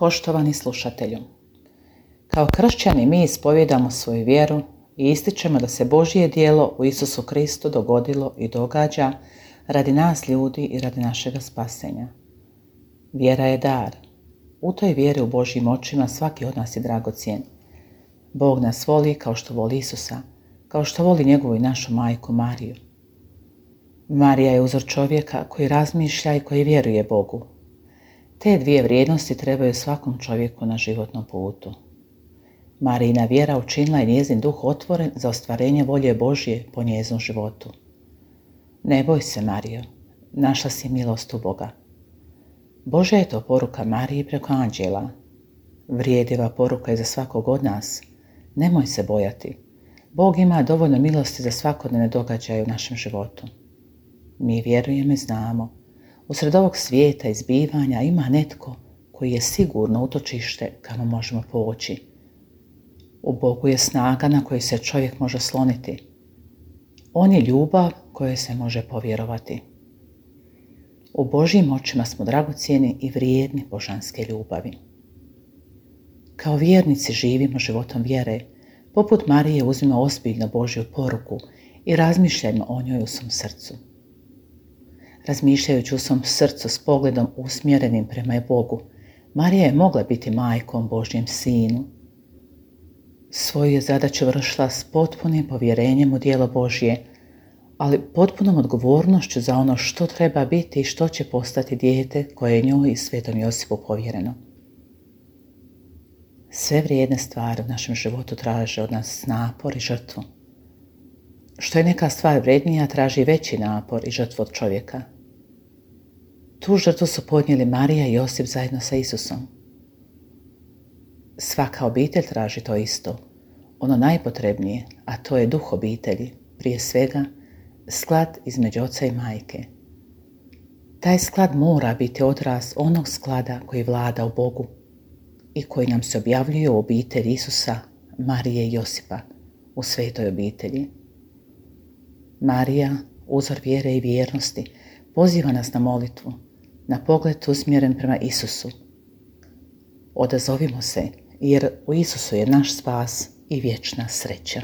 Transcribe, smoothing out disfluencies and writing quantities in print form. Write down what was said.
Poštovani slušatelju, kao kršćani mi ispovijedamo svoju vjeru i ističemo da se Božje djelo u Isusu Kristu dogodilo i događa radi nas ljudi i radi našega spasenja. Vjera je dar. U toj vjeri u Božjim očima svaki od nas je dragocjen. Bog nas voli kao što voli Isusa, kao što voli njegovu i našu majku Mariju. Marija je uzor čovjeka koji razmišlja i koji vjeruje Bogu. Te dvije vrijednosti trebaju svakom čovjeku na životnom putu. Marijina vjera učinila je njezin duh otvoren za ostvarenje volje Božje po njezinu životu. Ne boj se, Marijo, našla si milost u Boga. Božja je to poruka Mariji preko anđela. Vrijedljiva poruka je za svakog od nas. Nemoj se bojati. Bog ima dovoljno milosti za svakodnevne događaje u našem životu. Mi vjerujemo i znamo. Usred ovog svijeta i zbivanja ima netko koji je sigurno utočište kamo možemo poći. U Bogu je snaga na koju se čovjek može sloniti. On je ljubav kojoj se može povjerovati. U Božjim očima smo dragocjeni i vrijedni božanske ljubavi. Kao vjernici živimo životom vjere, poput Marije uzmimo ozbiljno Božju poruku i razmišljajmo o njoj u svom srcu. Razmišljajući u svom srcu s pogledom usmjerenim prema Bogu, Marija je mogla biti majkom Božjem sinu. Svoju je zadaću vršila s potpunim povjerenjem u djelo Božje, ali potpunom odgovornošću za ono što treba biti i što će postati dijete koje je njoj i Svetom Josipu povjereno. Sve vrijedne stvari u našem životu traže od nas napor i žrtvu. Što je neka stvar vrijednija, traži veći napor i žrtvu od čovjeka. Tu žrtvu su podnijeli Marija i Josip zajedno sa Isusom. Svaka obitelj traži to isto, ono najpotrebnije, a to je duh obitelji, prije svega sklad između oca i majke. Taj sklad mora biti odraz onog sklada koji vlada u Bogu i koji nam se objavljuje u obitelji Isusa, Marije i Josipa, u svetoj obitelji. Marija, uzor vjere i vjernosti, poziva nas na molitvu, na pogled usmjeren prema Isusu. Odazovimo se, jer u Isusu je naš spas i vječna sreća.